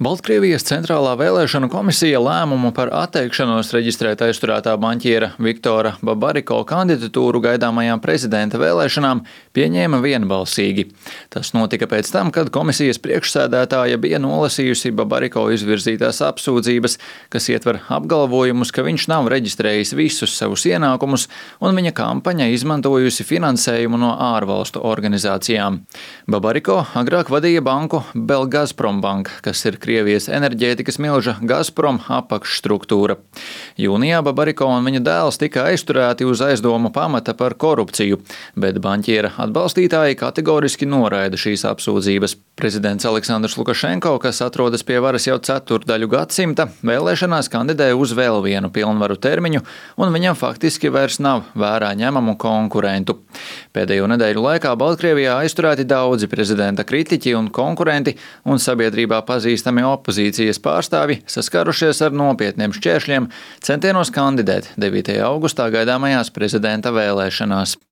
Baltkrievijas centrālā vēlēšanu komisija lēmumu par atteikšanos reģistrēt aizturētā banķiera Viktora Babariko kandidatūru gaidāmajām prezidenta vēlēšanām pieņēma vienbalsīgi. Tas notika pēc tam, kad komisijas priekšsēdētāja bija nolasījusi Babariko izvirzītās apsūdzības, kas ietver apgalvojumus, ka viņš nav reģistrējis visus savus ienākumus un viņa kampaņa izmantojusi finansējumu no ārvalstu organizācijām. Babariko agrāk vadīja banku Belgazprombank, kas ir Krievijas enerģētikas milža Gazprom apakšstruktūra. Jūnijā Babariko un viņa dēls tika aizturēti uz aizdomu pamata par korupciju, bet banķiera atbalstītāji kategoriski noraida šīs apsūdzības. Prezidents Aleksandrs Lukašenko, kas atrodas pie varas jau ceturdaļu gadsimta, vēlēšanās kandidēja uz vēl vienu pilnvaru termiņu, un viņam faktiski vairs nav vērā ņemamu konkurentu. Pēdējo nedēļu laikā Baltkrievijā aizturēti daudzi prezidenta kritiķi un konkurenti, un sabiedrībā pazīstami opozīcijas pārstāvi saskārušies ar nopietniem šķēršļiem centienos kandidēt 9. augustā gaidāmajās prezidenta vēlēšanās.